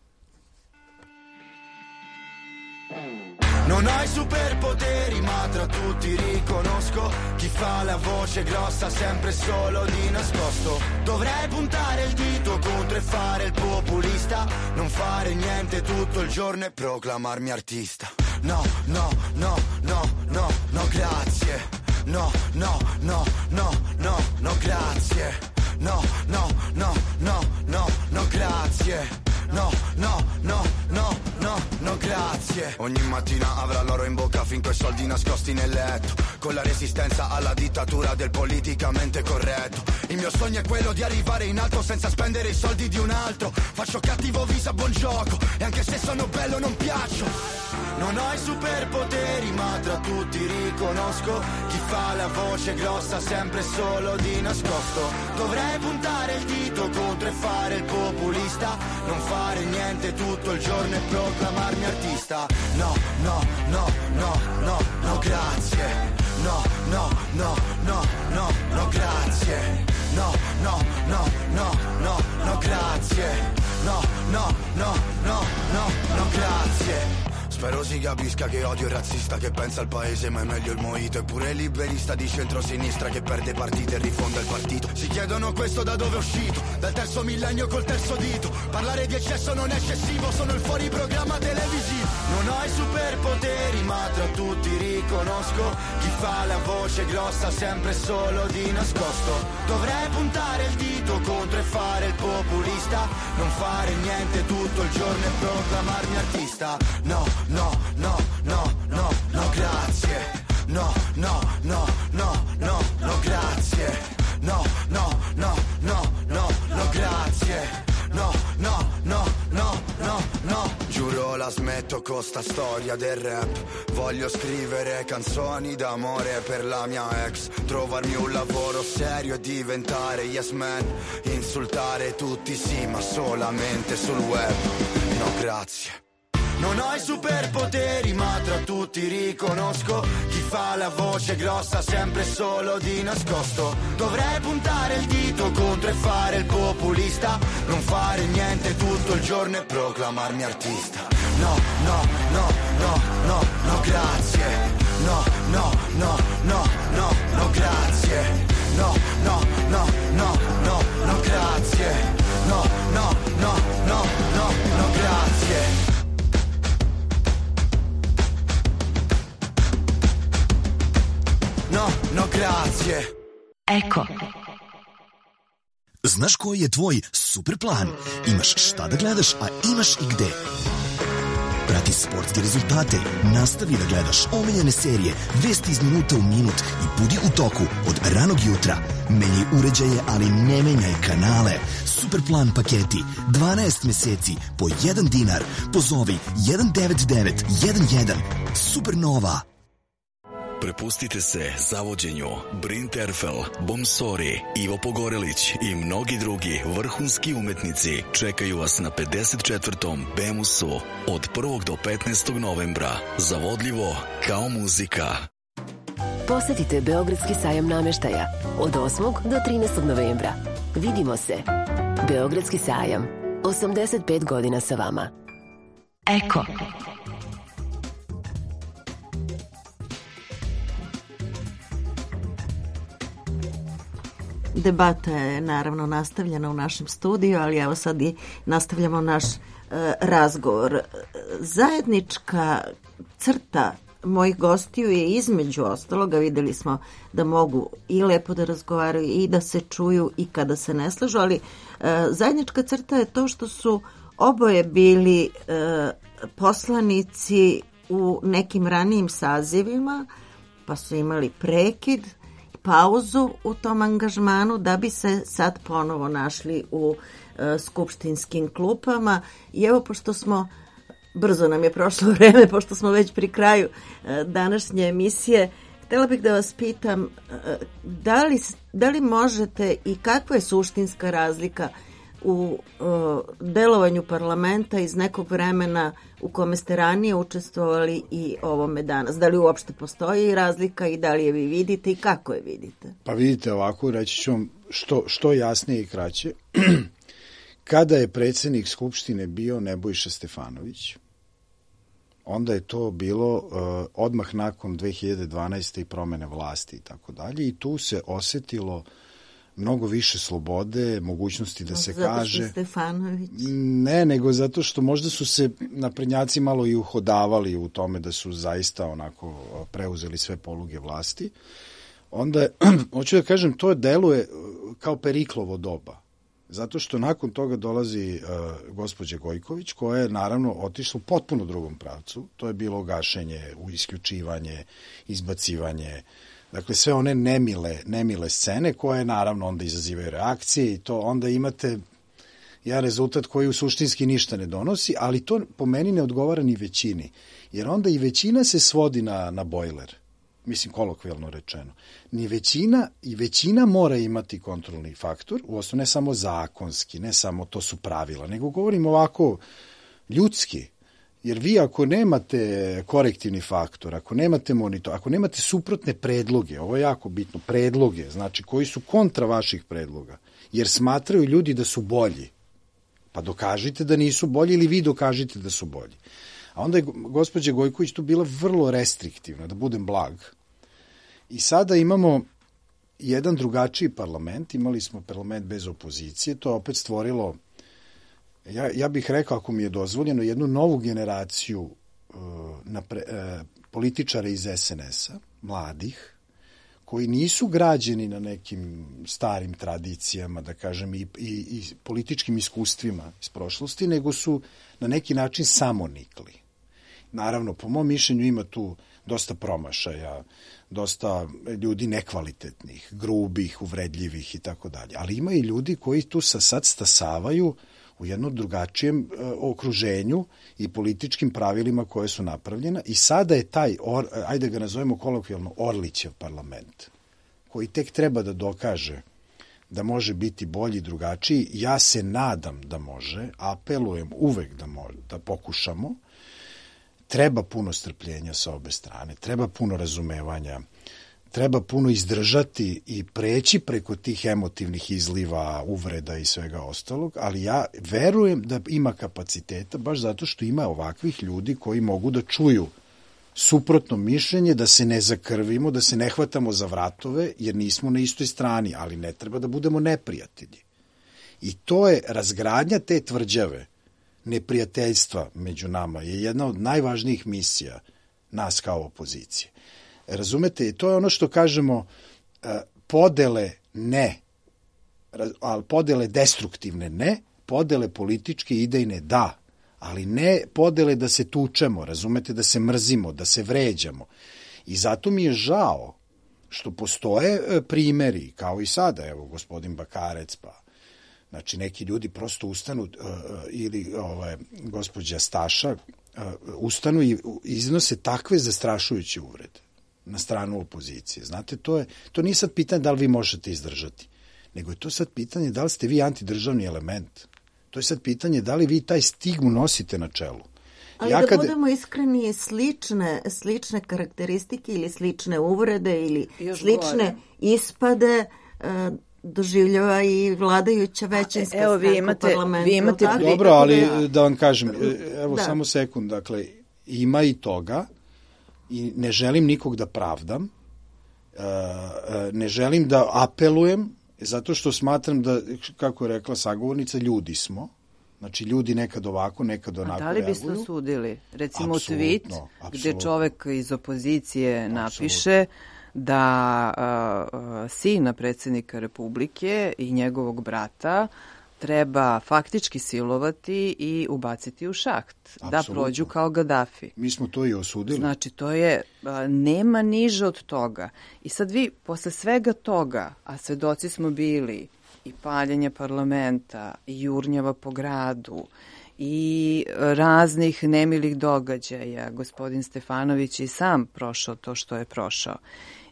[SPEAKER 6] Non ho i superpoteri, ma tra tutti riconosco chi fa la voce grossa sempre solo di nascosto. Dovrei puntare il dito contro e fare il populista, non fare niente tutto il giorno e proclamarmi artista. No, no, no, no, no, no, grazie. No, no, no, no, no, no, grazie. No, no, no, no, no, no, grazie. No, no, no, no, no, no, grazie. Ogni mattina avrà l'oro in bocca finché i soldi nascosti nel letto, con la resistenza alla dittatura del politicamente corretto. Il mio sogno è quello di arrivare in alto senza spendere i soldi di un altro. Faccio cattivo viso a buon gioco e anche se sono bello non piaccio. Non ho i superpoteri ma tra tutti riconosco chi fa la voce grossa sempre solo di nascosto. Dovrei puntare il dito contro e fare il populista, non fare niente tutto il giorno e proclamarmi artista. No, no, no, no, no, no, grazie. No, no, no, no, no, no, grazie. No, no, no, no, no, no, grazie. No, no, no, no, no, no, grazie. Spero si capisca che odio il razzista che pensa al paese ma è meglio il mojito. Eppure il liberista di centrosinistra che perde partite e rifonda il partito. Si chiedono questo da dove è uscito, dal terzo millennio col terzo dito. Parlare di eccesso non è eccessivo, sono il fuori programma televisivo. Non ho i superpoteri ma tra tutti riconosco chi fa la voce grossa sempre solo di nascosto. Dovrei puntare il dito contro e fare il populista, non fare niente tutto il giorno e proclamarmi artista. No, no, no, no, no, no, grazie. No, no, no, no, no, no, grazie. No, no, no, no, no, no, grazie. No, no, no, no, no, no. Giuro la smetto con sta storia del rap. Voglio scrivere canzoni d'amore per la mia ex, trovarmi un lavoro serio e diventare yes man. Insultare tutti sì, ma solamente sul web. No, grazie. Non ho i superpoteri ma tra tutti riconosco chi fa la voce grossa sempre solo di nascosto. Dovrei puntare il dito contro e fare il populista, non fare niente tutto il giorno e proclamarmi artista. No, no, no, no, no, no, grazie. No, no, no, no, no, no, grazie. No, no, no,
[SPEAKER 7] Eko.
[SPEAKER 8] Znaš koji je tvoj super plan? Imaš šta da gledaš, a imaš i gde. Prati sportske rezultate, nastavi da gledaš omiljene serije, vesti iz minuta u minut i budi u toku od ranog jutra. Menjaj uređaje, ali ne menjaj kanale. Superplan paketi, dvanaest meseci po jedan dinar. Pozovi jedan devet devet jedan jedan. Supernova.
[SPEAKER 9] Prepustite se zavođenju. Bryn Terfel, Bomsori, Ivo Pogorelić i mnogi drugi vrhunski umetnici čekaju vas na pedeset četvrtom Bemusu od prvog do petnaestog novembra. Zavodljivo kao muzika.
[SPEAKER 7] Posetite Beogradski sajam nameštaja od osmog do trinaestog novembra. Vidimo se. Beogradski sajam. osamdeset pet godina sa vama.
[SPEAKER 2] Eko.
[SPEAKER 3] Debata je naravno nastavljena u našem studiju, ali evo sad i nastavljamo naš e, razgovor. Zajednička crta mojih gostiju je između ostaloga, videli smo da mogu i lepo da razgovaraju i da se čuju i kada se ne slažu, ali e, zajednička crta je to što su oboje bili e, poslanici u nekim ranijim sazivima, pa su imali prekid, pauzu u tom angažmanu da bi se sad ponovo našli u e, skupštinskim klupama. I evo, pošto smo, brzo nam je prošlo vreme, pošto smo već pri kraju e, današnje emisije, htjela bih da vas pitam e, da li, da li možete i kakva je suštinska razlika u e, delovanju parlamenta iz nekog vremena u kome ste ranije učestvovali i ovome danas? Da li uopšte postoji razlika i da li je vi vidite i kako je vidite?
[SPEAKER 4] Pa vidite ovako, reći ću vam što, što jasnije i kraće. Kada je predsjednik Skupštine bio Nebojša Stefanović, onda je to bilo uh, odmah nakon dve hiljade dvanaeste. i promene vlasti i tako dalje, i tu se osetilo mnogo više slobode, mogućnosti da se
[SPEAKER 3] zato
[SPEAKER 4] kaže...
[SPEAKER 3] Zato što Stefanović?
[SPEAKER 4] Ne, nego zato što možda su se naprednjaci malo i uhodavali u tome da su zaista onako preuzeli sve poluge vlasti. Onda, hoću da kažem, to deluje kao Periklovo doba. Zato što nakon toga dolazi uh, gospođa Gojković, koja je naravno otišla u potpuno drugom pravcu. To je bilo gašenje, isključivanje, izbacivanje, dakle sve one nemile, nemile scene koje naravno onda izazivaju reakcije i to onda imate jedan rezultat koji u suštinski ništa ne donosi, ali to po meni ne odgovara ni većini, jer onda i većina se svodi na, na bojler, mislim kolokvijalno rečeno. Ni većina i većina mora imati kontrolni faktor, uosno ne samo zakonski, ne samo to su pravila, nego govorim ovako ljudski. Jer vi ako nemate korektivni faktor, ako nemate monitor, ako nemate suprotne predloge, ovo je jako bitno, predloge, znači koji su kontra vaših predloga, jer smatraju ljudi da su bolji, pa dokažite da nisu bolji ili vi dokažite da su bolji. A onda je gospođa Gojković tu bila vrlo restriktivna, da budem blag. I sada imamo jedan drugačiji parlament, imali smo parlament bez opozicije, to je opet stvorilo, Ja, ja bih rekao, ako mi je dozvoljeno, jednu novu generaciju uh, napre, uh, političara iz es en es-a, mladih, koji nisu građeni na nekim starim tradicijama, da kažem, i, i, i političkim iskustvima iz prošlosti, nego su na neki način samonikli. Naravno, po mom mišljenju ima tu dosta promašaja, dosta ljudi nekvalitetnih, grubih, uvredljivih i tako dalje. Ali ima i ljudi koji tu sa sad stasavaju u jednom drugačijem e, okruženju i političkim pravilima koje su napravljena i sada je taj, or, ajde ga nazovemo kolokvijalno, Orlićev parlament, koji tek treba da dokaže da može biti bolji, drugačiji. Ja se nadam da može, apelujem uvek da, može, da pokušamo. Treba puno strpljenja sa obe strane, treba puno razumevanja, treba puno izdržati i preći preko tih emotivnih izliva, uvreda i svega ostalog, ali ja verujem da ima kapaciteta baš zato što ima ovakvih ljudi koji mogu da čuju suprotno mišljenje, da se ne zakrvimo, da se ne hvatamo za vratove, jer nismo na istoj strani, ali ne treba da budemo neprijatelji. I to je razgradnja te tvrđave, neprijateljstva među nama, je jedna od najvažnijih misija nas kao opozicije. Razumete, to je ono što kažemo, podele ne. Ali podele destruktivne ne, podele političke i idejne da, ali ne podele da se tučemo, razumete, da se mrzimo, da se vređamo. I zato mi je žao što postoje primeri, kao i sada, evo, gospodin Bakarec, pa, znači, neki ljudi prosto ustanu, uh, ili ove, gospođa Staša, uh, ustanu i iznose takve zastrašujuće uvrede na stranu opozicije. Znate, to, je, to nije sad pitanje da li vi možete izdržati, nego je to sad pitanje da li ste vi antidržavni element. To je sad pitanje da li vi taj stigmu nosite na čelu.
[SPEAKER 3] Ali ja da kad... budemo iskreni, slične, slične karakteristike ili slične uvrede ili Još slične gore. ispade uh, doživljava i vladajuća većinska
[SPEAKER 5] evo, vi imate, u parlamentu. Vi imate
[SPEAKER 4] tako? Dobro, ali da vam kažem, evo da. samo sekund, dakle, ima i toga i ne želim nikog da pravdam, ne želim da apelujem, zato što smatram da, kako je rekla sagovornica, ljudi smo. Znači, ljudi nekad ovako, nekad onako reaguju. A da li biste osudili?
[SPEAKER 5] Recimo apsolutno, tweet apsolutno. Gde čovek iz opozicije napiše apsolutno. da uh, sina predsjednika Republike i njegovog brata treba faktički silovati i ubaciti u šaht, apsolutno. Da prođu kao Gaddafi.
[SPEAKER 4] Mi smo to i osudili.
[SPEAKER 5] Znači, to je, a, nema niže od toga. I sad vi, posle svega toga, a svedoci smo bili i paljenja parlamenta, i jurnjava po gradu, i raznih nemilih događaja, gospodin Stefanović i sam prošao to što je prošao.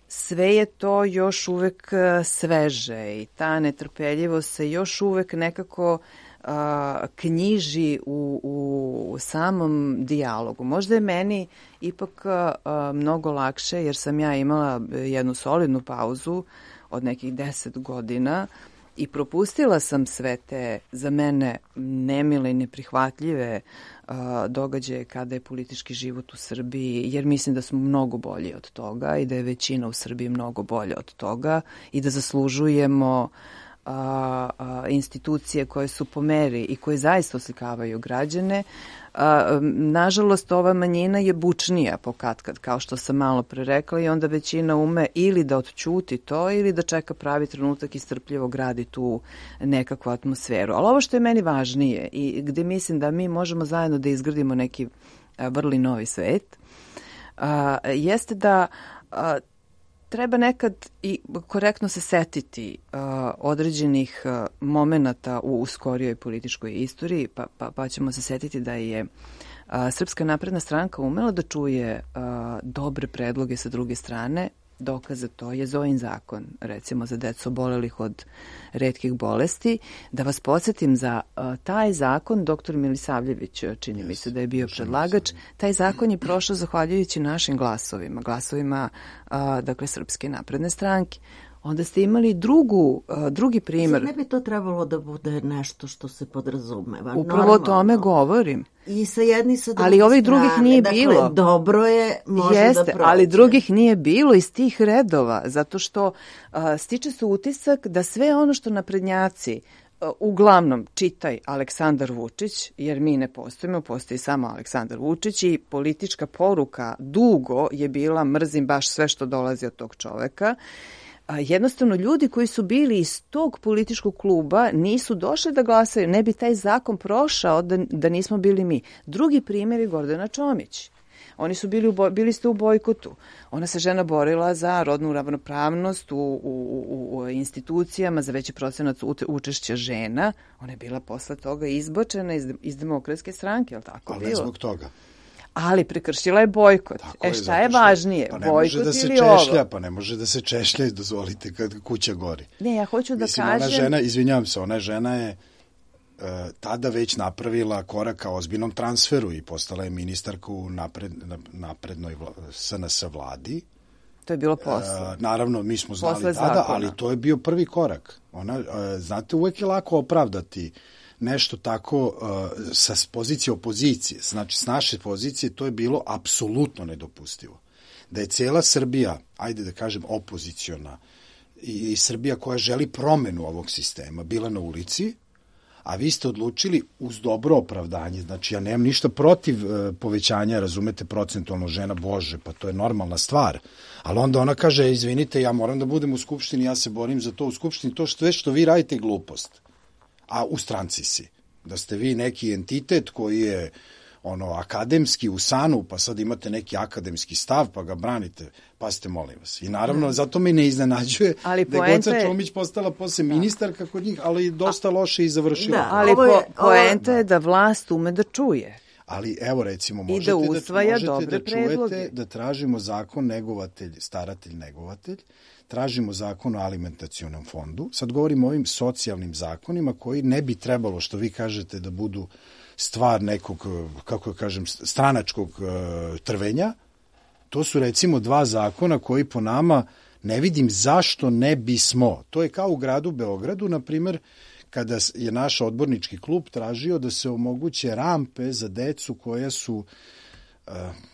[SPEAKER 5] Sve je to još uvek sveže i ta netrpeljivost se još uvek nekako a, knjiži u, u samom dijalogu. Možda je meni ipak a, mnogo lakše jer sam ja imala jednu solidnu pauzu od nekih deset godina i propustila sam sve te za mene nemile i neprihvatljive uh, događaje kada je politički život u Srbiji, jer mislim da smo mnogo bolji od toga i da je većina u Srbiji mnogo bolja od toga i da zaslužujemo uh, uh, institucije koje su po meri i koje zaista oslikavaju građane. Uh, nažalost, ova manjina je bučnija po katkad, kao što sam malo pre rekla, i onda većina ume ili da odćuti to ili da čeka pravi trenutak i strpljivo gradi tu nekakvu atmosferu. Ali ovo što je meni važnije i gde mislim da mi možemo zajedno da izgradimo neki uh, vrli novi svet, uh, jeste da uh, treba nekad i korektno se setiti uh, određenih uh, momenata u, u skorijoj političkoj istoriji, pa, pa, pa ćemo se setiti da je uh, Srpska napredna stranka umela da čuje uh, dobre predloge sa druge strane. Dokaze to je Zojin zakon, recimo za decu obolelih od retkih bolesti. Da vas podsjetim, za uh, taj zakon doktor Milisavljević, čini yes, mi se da je bio predlagač, taj zakon je prošao zahvaljujući našim glasovima, glasovima uh, dakle Srpske napredne stranke. Onda ste imali drugu, uh, drugi primjer.
[SPEAKER 3] Sad ne bi to trebalo da bude nešto što se podrazumeva.
[SPEAKER 5] Upravo normalno. O tome govorim.
[SPEAKER 3] I sa jedni i sa drugi
[SPEAKER 5] ali ovih drugih nije
[SPEAKER 3] dakle,
[SPEAKER 5] bilo.
[SPEAKER 3] Dobro je, može
[SPEAKER 5] Jeste,
[SPEAKER 3] da prođe.
[SPEAKER 5] Ali drugih nije bilo iz tih redova, zato što uh, stiče se utisak da sve ono što naprednjaci uh, uglavnom čitaj Aleksandar Vučić, jer mi ne postojimo, postoji samo Aleksandar Vučić i politička poruka dugo je bila mrzim baš sve što dolazi od tog čoveka. A jednostavno ljudi koji su bili iz tog političkog kluba nisu došli da glasaju, ne bi taj zakon prošao da, da nismo bili mi. Drugi primjer je Gordana Čomić. Oni su bili, u boj, bili ste u bojkotu. Ona se žena borila za rodnu ravnopravnost u, u, u, u institucijama, za veći procenat učešća žena. Ona je bila posle toga izbačena iz, iz Demokratske stranke, je li tako
[SPEAKER 4] ali
[SPEAKER 5] bilo?
[SPEAKER 4] Ali ne zbog toga.
[SPEAKER 5] Ali prekršila je bojkot. Tako e šta je, je važnije?
[SPEAKER 4] Pa ne
[SPEAKER 5] bojkot
[SPEAKER 4] može da se
[SPEAKER 5] ili
[SPEAKER 4] češlja,
[SPEAKER 5] ovo?
[SPEAKER 4] Pa ne može da se češlja, dozvolite, kad kuća gori.
[SPEAKER 5] Ne, ja hoću da
[SPEAKER 4] Mislim,
[SPEAKER 5] kažem...
[SPEAKER 4] Ona žena, izvinjavam se, ona žena je uh, tada već napravila korak ka ozbiljnom transferu i postala je ministarka u napred, naprednoj vla, S N S vladi.
[SPEAKER 5] To je bilo posle.
[SPEAKER 4] Uh, naravno, mi smo znali
[SPEAKER 5] posle
[SPEAKER 4] tada,
[SPEAKER 5] zakona.
[SPEAKER 4] Ali to je bio prvi korak. Ona, uh, znate, uvek je lako opravdati nešto tako uh, sa pozicije opozicije, znači s naše pozicije to je bilo apsolutno nedopustivo. Da je cijela Srbija, ajde da kažem opoziciona i, i Srbija koja želi promenu ovog sistema bila na ulici, a vi ste odlučili uz dobro opravdanje, znači ja nemam ništa protiv e, povećanja, razumete, procentualno žena, bože, pa to je normalna stvar, ali onda ona kaže, izvinite, ja moram da budem u Skupštini, ja se borim za to u Skupštini, to što, što vi radite je glupost, a u stranci si, da ste vi neki entitet koji je ono, akademski u sanu, pa sad imate neki akademski stav, pa ga branite, pa ste, molim vas. I naravno, zato me ne iznenađuje ali da je Goca Čomić postala posle ministarka kod njih, ali dosta loše i završila.
[SPEAKER 5] Da, ali po, poenta je da vlast ume da čuje.
[SPEAKER 4] Ali evo recimo, možete
[SPEAKER 5] da, usvaja
[SPEAKER 4] da, možete da čujete
[SPEAKER 5] predloge.
[SPEAKER 4] Da tražimo zakon negovatelj, staratelj, negovatelj, tražimo zakon o alimentacionom fondu, sad govorimo o ovim socijalnim zakonima koji ne bi trebalo, što vi kažete, da budu stvar nekog, kako kažem, stranačkog uh, trvenja. To su recimo dva zakona koji po nama ne vidim zašto ne bismo. To je kao u gradu Beogradu, na primjer, kada je naš odbornički klub tražio da se omoguće rampe za decu koja su, uh,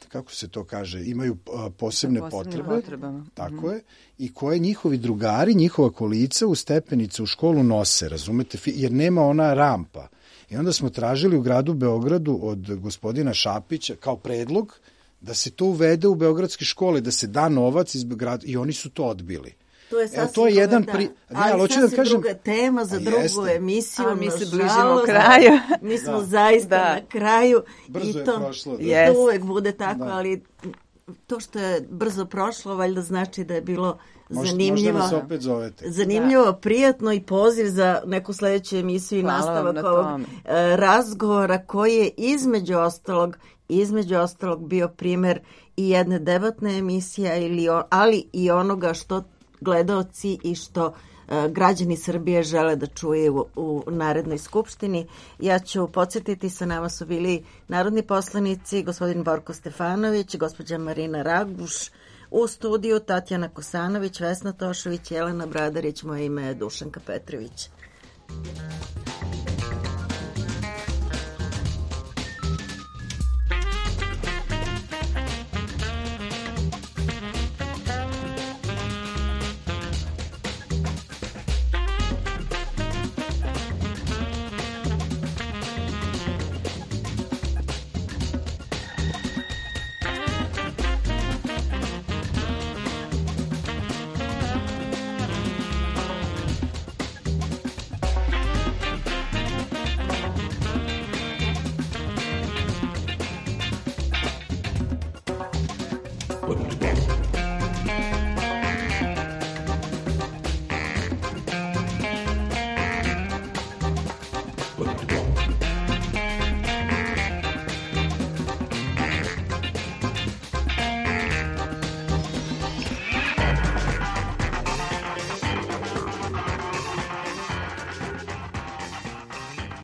[SPEAKER 4] kako se to kaže, imaju uh, posebne potrebe.
[SPEAKER 5] Potrebama.
[SPEAKER 4] Tako mm-hmm. je. I koje njihovi drugari, njihova kolica u stepenice u školu nose, razumete, jer nema ona rampa. I onda smo tražili u gradu Beogradu od gospodina Šapića kao predlog da se to uvede u beogradske škole, da se da novac iz grada, i oni su to odbili.
[SPEAKER 3] To je sasvim
[SPEAKER 4] to je jedan pri... ne,
[SPEAKER 3] ali, ali sasvim da kažem... druga tema za drugu jeste. emisiju.
[SPEAKER 5] A mi se bližimo kraju.
[SPEAKER 3] Mi smo da. zaista da. na kraju.
[SPEAKER 4] Brzo
[SPEAKER 3] i to,
[SPEAKER 4] je prošlo. Da.
[SPEAKER 3] Yes. To uvek bude tako, da. ali to što je brzo prošlo, valjda znači da je bilo zanimljivo.
[SPEAKER 4] Možda nas opet zovete.
[SPEAKER 3] Zanimljivo, da. prijatno i poziv za neku sledeću emisiju i nastavak na ovog razgovora koji je između ostalog između ostalog bio primer i jedne debatne emisije, ili, ali i onoga što gledaoci i što uh, građani Srbije žele da čuje u, u narednoj skupštini. Ja ću podsjetiti, sa nama su bili narodni poslanici, gospodin Borko Stefanović, gospođa Marina Raguš, u studiju Tatjana Kosanović, Vesna Tošović, Jelena Bradarić, moje ime je Dušanka Petrović.